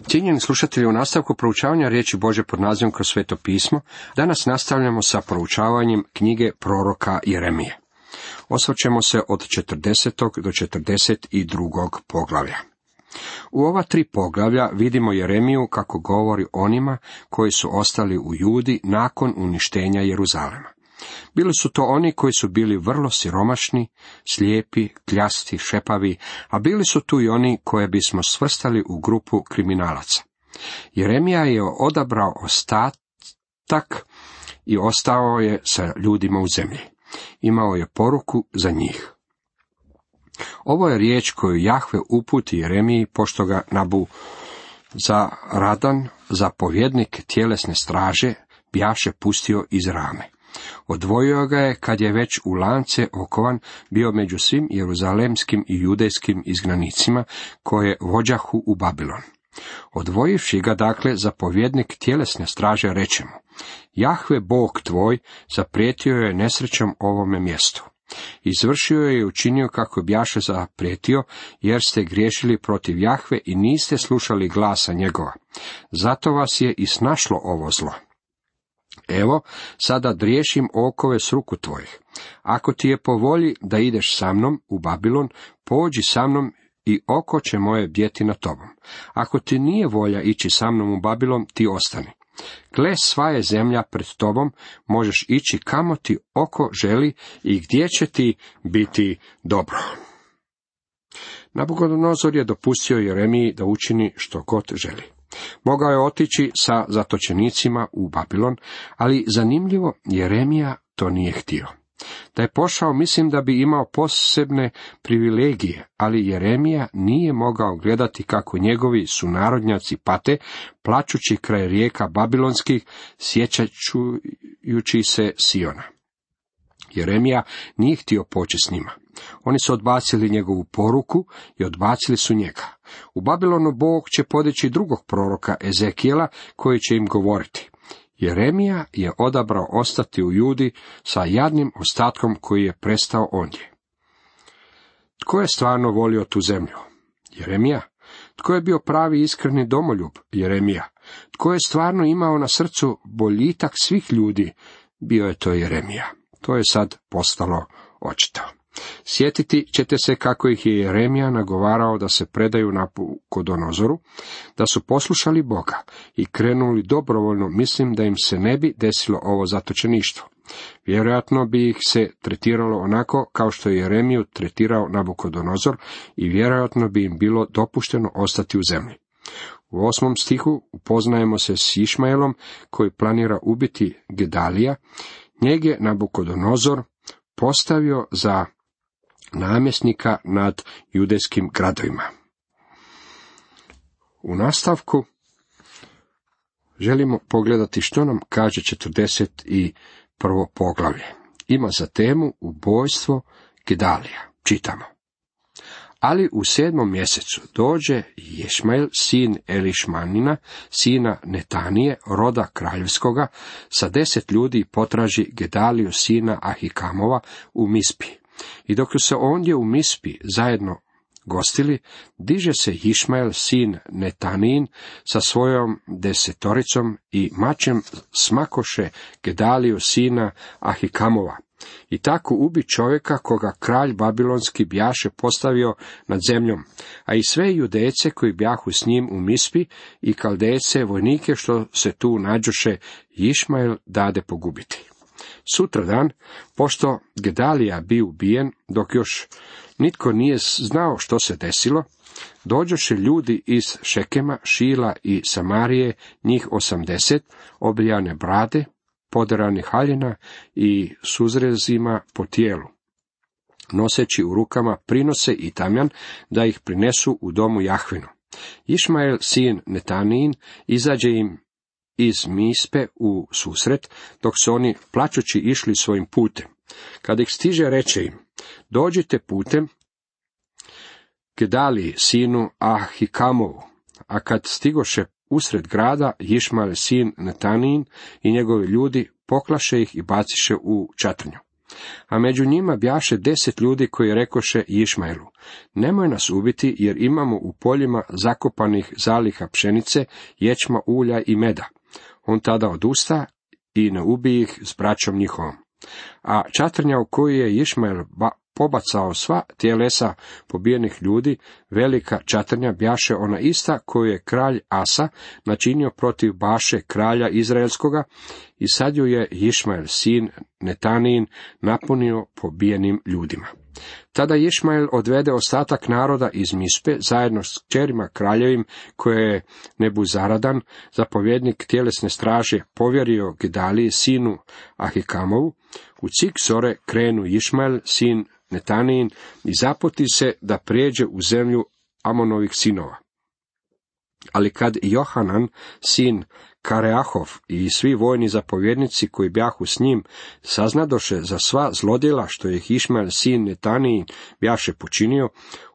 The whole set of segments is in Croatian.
Cijenjeni slušatelji, u nastavku proučavanja riječi Božje pod nazivom Kroz sveto pismo, danas nastavljamo sa proučavanjem knjige proroka Jeremije. Osvrćemo se od 40. do 42. poglavlja. U ova 3 poglavlja vidimo Jeremiju kako govori onima koji su ostali u Judi nakon uništenja Jeruzalema. Bili su to oni koji su bili vrlo siromašni, slijepi, kljasti, šepavi, a bili su tu i oni koje bismo svrstali u grupu kriminalaca. Jeremija je odabrao ostatak i ostao je sa ljudima u zemlji. Imao je poruku za njih. Ovo je riječ koju Jahve uputi Jeremiji, pošto ga Nabuzaradan, zapovjednik tjelesne straže, bjaše pustio iz Rame. Odvojio ga je kad je već u lance okovan bio među svim jeruzalemskim i judejskim izgnanicima koje vođahu u Babilon. Odvojivši ga dakle zapovjednik tjelesne straže reče mu: Jahve Bog tvoj zaprijetio je nesrećom ovome mjestu. Izvršio je i učinio kako bjaše zaprijetio, jer ste griješili protiv Jahve i niste slušali glasa njegova. Zato vas je i snašlo ovo zlo. Evo, sada driješim okove s ruku tvojih. Ako ti je po volji da ideš sa mnom u Babilon, pođi sa mnom i oko će moje bdjeti na tobom. Ako ti nije volja ići sa mnom u Babilon, ti ostani. Gle, sva je zemlja pred tobom, možeš ići kamo ti oko želi i gdje će ti biti dobro. Nabukodonozor je dopustio Jeremiji da učini što god želi. Mogao je otići sa zatočenicima u Babilon, ali zanimljivo, Jeremija to nije htio. Da je pošao, mislim da bi imao posebne privilegije, ali Jeremija nije mogao gledati kako njegovi sunarodnjaci pate, plačući kraj rijeka babilonskih, sjećajući se Siona. Jeremija nije htio poći s njima. Oni su odbacili njegovu poruku i odbacili su njega. U Babilonu Bog će podići drugog proroka Ezekijela koji će im govoriti. Jeremija je odabrao ostati u Judi sa jadnim ostatkom koji je prestao ondje. Tko je stvarno volio tu zemlju? Jeremija. Tko je bio pravi iskreni domoljub? Jeremija. Tko je stvarno imao na srcu boljitak svih ljudi? Bio je to Jeremija. To je sad postalo očito. Sjetiti ćete se kako ih je Jeremija nagovarao da se predaju Nabukodonozoru, da su poslušali Boga i krenuli dobrovoljno, mislim da im se ne bi desilo ovo zatočeništvo. Vjerojatno bi ih se tretiralo onako kao što je Jeremiju tretirao Nabukodonozor i vjerojatno bi im bilo dopušteno ostati u zemlji. U 8. stihu upoznajemo se s Išmaelom koji planira ubiti Gedalija. Njeg je Nabukodonozor postavio za namjesnika nad judejskim gradovima. U nastavku želimo pogledati što nam kaže 41. poglavlje. Ima za temu ubojstvo Gedalija. Čitamo. Ali u 7. mjesecu dođe Ješmael, sin Elišmanina, sina Netanije, roda kraljevskoga, sa 10 ljudi potraži Gedaliju, sina Ahikamova, u Mispi. I dok su se ondje u Mispi zajedno gostili, diže se Išmael, sin Netanijin, sa svojom 10 i mačem smakoše Gedaliju, sina Ahikamova. I tako ubi čovjeka koga kralj babilonski bjaše postavio nad zemljom, a i sve Judejce koji bjahu s njim u Mispi i Kaldejce, vojnike što se tu nađoše, Išmael dade pogubiti. Sutradan, pošto Gedalija bi ubijen, dok još nitko nije znao što se desilo, dođoše ljudi iz Šekema, Šila i Samarije, njih 80, obrijane brade, poderanih haljina i suzrezima po tijelu, noseći u rukama prinose i tamjan, da ih prinesu u domu Jahvinu. Išmael, sin Netanijin, izađe im iz Mispe u susret, dok su oni plačući išli svojim putem. Kad ih stiže, reče im: dođite putem Gedaliji, sinu Ahikamovu. A kad stigoše usred grada, Išmael, sin Netanijin, i njegovi ljudi poklaše ih i baciše u čatrnju. A među njima bjaše 10 ljudi koji rekoše Išmaelu: nemoj nas ubiti, jer imamo u poljima zakopanih zaliha pšenice, ječma, ulja i meda. On tada odusta i ne ubije ih s braćom njihovom. A čatrnja u koju je Išmael pobacao sva tjelesa pobijenih ljudi, velika čatrnja, bjaše ona ista koju je kralj Asa načinio protiv Baše kralja Izraelskoga, i sad ju je Išmael sin Netanijin napunio pobijenim ljudima. Tada Išmael odvede ostatak naroda iz Mispe zajedno s kćerima kraljevim, koje je Nebuzaradan, zapovjednik tjelesne straže, povjerio Gedaliji sinu Ahikamovu. U cik zore krenu Išmael sin Netanijin i zaputi se da prijeđe u zemlju Amonovih sinova. Ali kad Johanan sin Kareahov i svi vojni zapovjednici koji bjahu s njim saznadoše za sva zlodjela što je Išmael sin Netanijin bjaše počinio,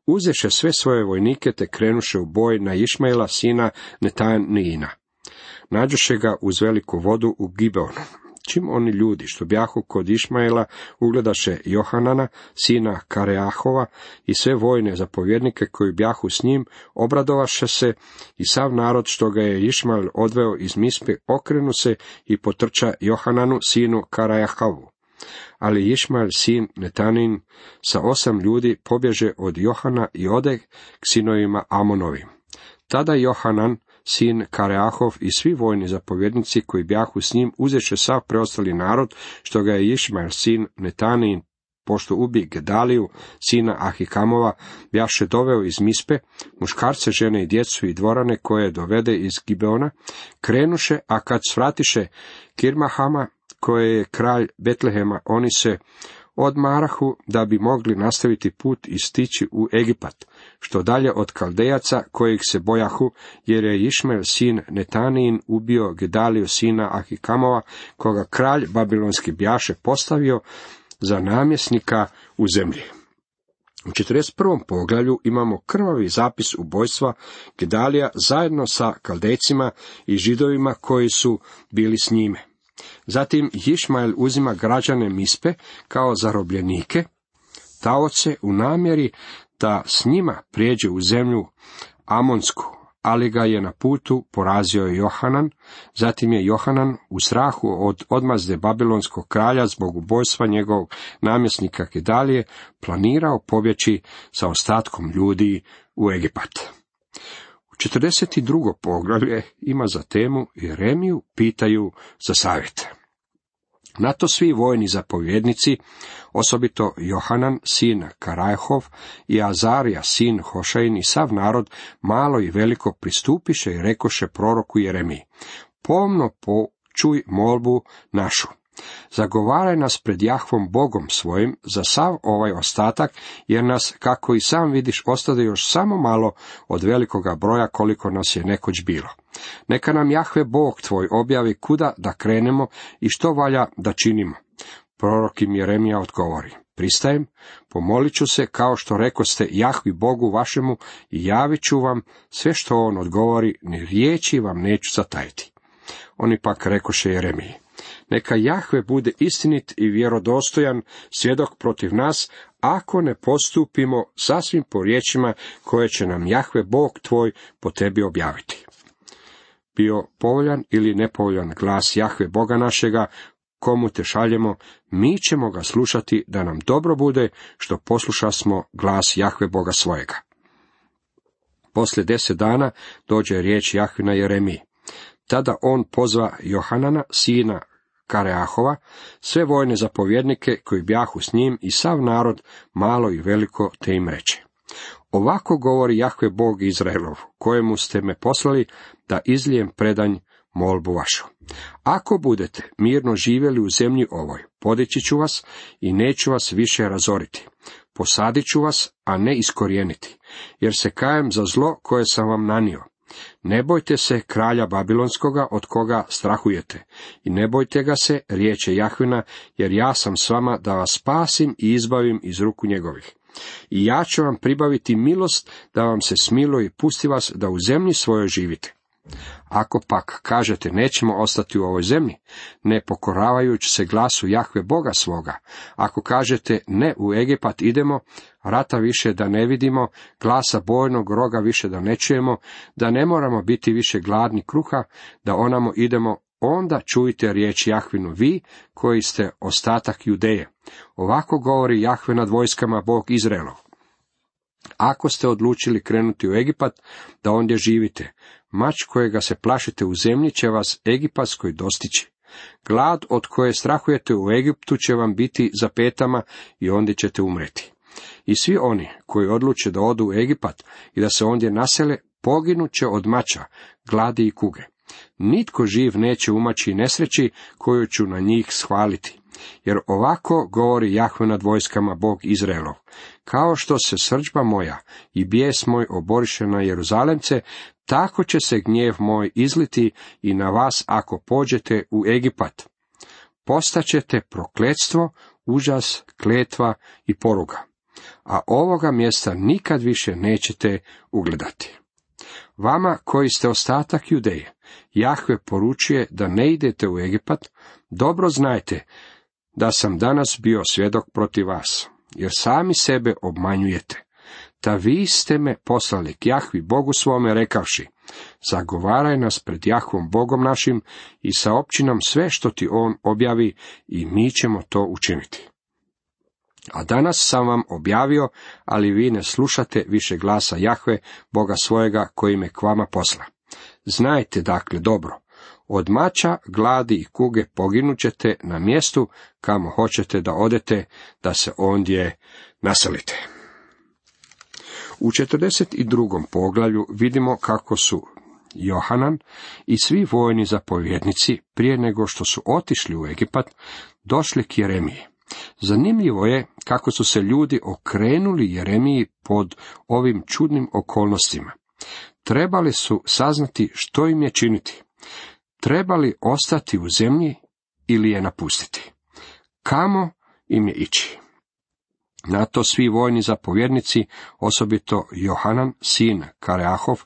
uzeše sve svoje vojnike te krenuše u boj na Išmaela sina Netanijina. Nađoše ga uz veliku vodu u Gibeonu. Čim oni ljudi što bjahu kod Išmaela ugledaše Johanana, sina Kareahova, i sve vojne zapovjednike koji bjahu s njim, obradovaše se, i sav narod što ga je Išmael odveo iz Mispe okrenu se i potrča Johananu, sinu Kareahovu. Ali Išmael sin Netanin sa 8 ljudi pobježe od Johana i ode k sinovima Amonovim. Tada Johanan, sin Kareahov, i svi vojni zapovjednici koji bjahu s njim uzeše sav preostali narod što ga je Išmael sin Netanijin, pošto ubi Gedaliju sina Ahikamova, bjaše doveo iz Mispe, muškarce, žene i djecu i dvorane koje dovede iz Gibeona, krenuše, a kad svratiše Kirmahama, koje je kralj Betlehema, oni se odmarahu da bi mogli nastaviti put i stići u Egipat, što dalje od Kaldejaca kojih se bojahu, jer je Išmael sin Netanijin ubio Gedaliju sina Ahikamova, koga kralj babilonski bjaše postavio za namjesnika u zemlji. U 41. poglavlju imamo krvavi zapis ubojstva Gedalija zajedno sa Kaldejcima i Židovima koji su bili s njime. Zatim Išmael uzima građane Mispe kao zarobljenike, taoce, u namjeri da s njima prijeđe u zemlju Amonsku, ali ga je na putu porazio Johanan. Zatim je Johanan u strahu od odmazde babilonskog kralja zbog ubojstva njegovog namjesnika Gedalije planirao pobjeći sa ostatkom ljudi u Egipat. 42. poglavlje ima za temu Jeremiju pitaju za savjet. Na to svi vojni zapovjednici, osobito Johanan sin Karajhov i Azarija sin Hošajin i sav narod, malo i veliko, pristupiše i rekoše proroku Jeremiji: pomno počuj molbu našu. Zagovaraj nas pred Jahvom Bogom svojim za sav ovaj ostatak, jer nas, kako i sam vidiš, ostade još samo malo od velikoga broja koliko nas je nekoć bilo. Neka nam Jahve Bog tvoj objavi kuda da krenemo i što valja da činimo. Prorok im Jeremija odgovori: pristajem, pomolit ću se kao što rekoste Jahvi Bogu vašemu i javit ću vam sve što on odgovori, ni riječi vam neću zatajiti. Oni pak rekoše Jeremiji: neka Jahve bude istinit i vjerodostojan svjedok protiv nas, ako ne postupimo sasvim po riječima koje će nam Jahve Bog tvoj po tebi objaviti. Bio povoljan ili nepovoljan glas Jahve Boga našega, komu te šaljemo, mi ćemo ga slušati, da nam dobro bude što poslušasmo glas Jahve Boga svojega. Poslije 10 dana dođe riječ Jahvina Jeremiji. Tada on pozva Johanana, sina Kareahova, sve vojne zapovjednike koji bjahu s njim i sav narod, malo i veliko, te im reče: ovako govori Jahve Bog Izraelov, kojemu ste me poslali da izlijem predanj molbu vašu. Ako budete mirno živjeli u zemlji ovoj, podići ću vas i neću vas više razoriti. Posadit ću vas, a ne iskorijeniti, jer se kajem za zlo koje sam vam nanio. Ne bojte se kralja Babilonskoga, od koga strahujete, i ne bojte ga se, riječe Jahvina, jer ja sam s vama da vas spasim i izbavim iz ruku njegovih. I ja ću vam pribaviti milost da vam se smiluje i pusti vas da u zemlji svojoj živite. Ako pak kažete nećemo ostati u ovoj zemlji, ne pokoravajući se glasu Jahve Boga svoga, ako kažete ne u Egipat idemo, rata više da ne vidimo, glasa bojnog roga više da ne čujemo, da ne moramo biti više gladni kruha, da onamo idemo, onda čujte riječ Jahvinu vi, koji ste ostatak Judeje. Ovako govori Jahve nad vojskama, Bog Izraelov. Ako ste odlučili krenuti u Egipat, da ondje živite, mač kojega se plašite u zemlji će vas egipatskoj dostići. Glad od koje strahujete u Egiptu će vam biti za petama i ondje ćete umreti. I svi oni koji odluče da odu u Egipat i da se ondje nasele, poginut će od mača, gladi i kuge. Nitko živ neće umaći nesreći koju ću na njih shvaliti. Jer ovako govori Jahve nad vojskama, Bog Izraelov. Kao što se srdžba moja i bijes moj oboriše na Jeruzalemce, tako će se gnjev moj izliti i na vas ako pođete u Egipat. Postaćete prokletstvo, užas, kletva i poruga. A ovoga mjesta nikad više nećete ugledati. Vama koji ste ostatak Judeje, Jahve poručuje da ne idete u Egipat, dobro znajte da sam danas bio svjedok protiv vas, jer sami sebe obmanjujete. Ta vi ste me poslali k Jahvi Bogu svome rekavši, zagovaraj nas pred Jahvom Bogom našim i saopći nam sve što ti on objavi i mi ćemo to učiniti. A danas sam vam objavio, ali vi ne slušate više glasa Jahve, Boga svojega, koji me k vama posla. Znajte dakle dobro, od mača, gladi i kuge poginut ćete na mjestu kamo hoćete da odete, da se ondje naselite. U 42. poglavlju vidimo kako su Johanan i svi vojni zapovjednici, prije nego što su otišli u Egipat, došli k Jeremiji. Zanimljivo je kako su se ljudi okrenuli Jeremiji pod ovim čudnim okolnostima. Trebali su saznati što im je činiti. Trebali ostati u zemlji ili je napustiti. Kamo im je ići? Na to svi vojni zapovjednici, osobito Johanan, sin Kareahov,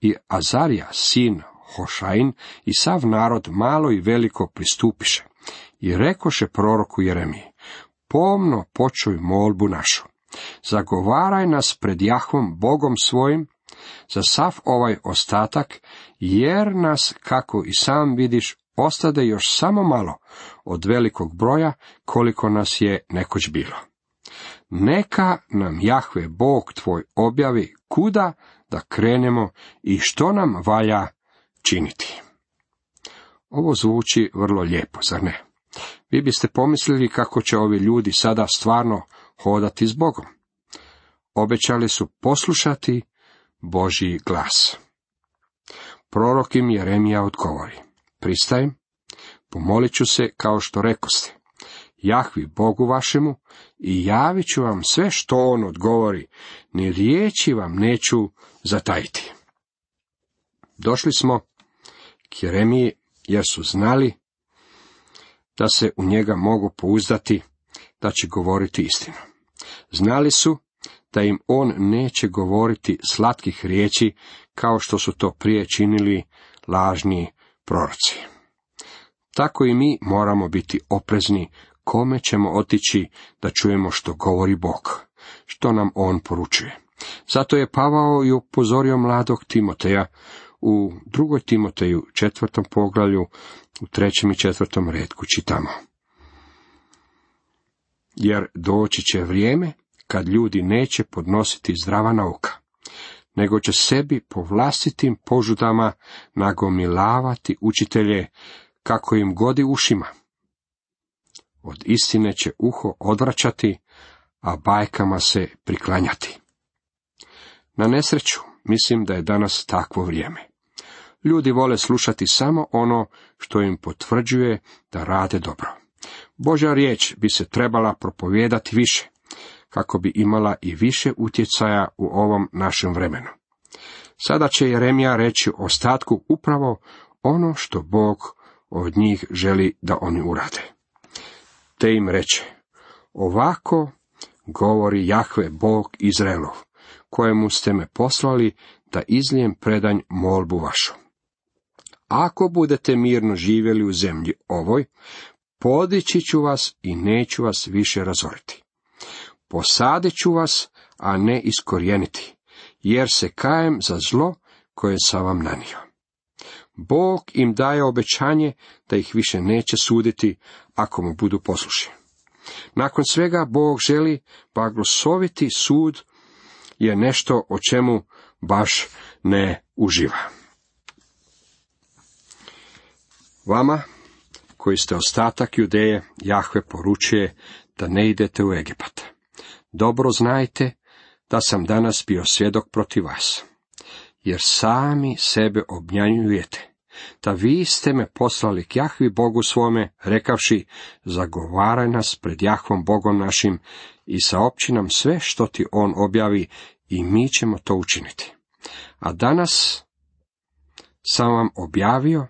i Azarija, sin Hošain, i sav narod malo i veliko pristupiše. I rekoše proroku Jeremiji, pomno počuj molbu našu. Zagovaraj nas pred Jahvom Bogom svojim za sav ovaj ostatak, jer nas, kako i sam vidiš, ostade još samo malo od velikog broja, koliko nas je nekoć bilo. Neka nam Jahve Bog tvoj objavi kuda da krenemo i što nam valja činiti. Ovo zvuči vrlo lijepo, zar ne? Vi biste pomislili kako će ovi ljudi sada stvarno hodati s Bogom. Obećali su poslušati Božji glas. Prorok im Jeremija odgovori, pristajem, pomolit ću se kao što rekoste, Jahvi Bogu vašemu i javit ću vam sve što on odgovori, ni riječi vam neću zatajiti. Došli smo k Jeremiji jer su znali da se u njega mogu pouzdati, da će govoriti istinu. Znali su da im on neće govoriti slatkih riječi kao što su to prije činili lažni proroci. Tako i mi moramo biti oprezni kome ćemo otići da čujemo što govori Bog, što nam on poručuje. Zato je Pavao i upozorio mladog Timoteja u 2. Timoteju 4. poglavlju u 3. i 4. retku čitamo. Jer doći će vrijeme kad ljudi neće podnositi zdrava nauka, nego će sebi po vlastitim požudama nagomilavati učitelje kako im godi ušima. Od istine će uho odvraćati, a bajkama se priklanjati. Na nesreću, mislim da je danas takvo vrijeme. Ljudi vole slušati samo ono što im potvrđuje da rade dobro. Božja riječ bi se trebala propovijedati više, kako bi imala i više utjecaja u ovom našem vremenu. Sada će Jeremija reći ostatku upravo ono što Bog od njih želi da oni urade. Te im reče, ovako govori Jahve Bog Izraelov, kojemu ste me poslali da izlijem predanj molbu vašu. ako budete mirno živjeli u zemlji ovoj, podići ću vas i neću vas više razoriti. Posadit ću vas, a ne iskorijeniti, jer se kajem za zlo koje sam vam nanio. Bog im daje obećanje da ih više neće suditi ako mu budu poslušni. Nakon svega Bog želi blagosloviti sud je nešto o čemu baš ne uživa. Vama, koji ste ostatak Judeje, Jahve poručuje da ne idete u Egipat. Dobro znajte da sam danas bio svjedok protiv vas, jer sami sebe obmanjujete, da vi ste me poslali k Jahvi Bogu svome, rekavši, zagovaraj nas pred Jahvom Bogom našim i saopći nam sve što ti on objavi i mi ćemo to učiniti. A danas sam vam objavio,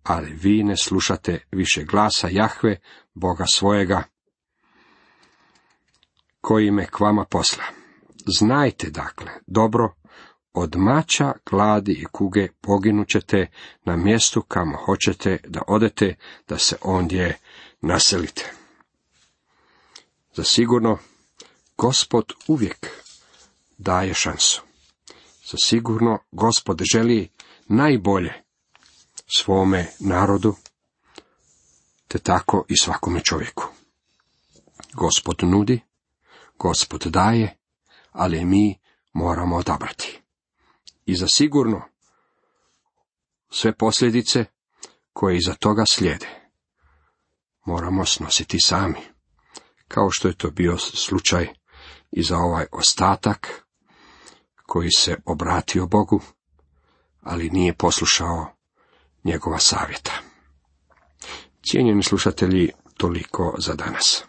ali vi ne slušate više glasa Jahve, Boga svojega, koji me k vama posla. Znajte dakle, dobro, od mača, gladi i kuge poginut ćete na mjestu kamo hoćete da odete, da se ondje naselite. Zasigurno, Gospod uvijek daje šansu. Zasigurno, Gospod želi najbolje svome narodu, te tako i svakome čovjeku. Gospod nudi, Gospod daje, ali mi moramo odabrati. I zasigurno sve posljedice koje iza toga slijede moramo snositi sami, kao što je to bio slučaj i za ovaj ostatak koji se obratio Bogu, ali nije poslušao njegova savjeta. Cijenjeni slušatelji, toliko za danas.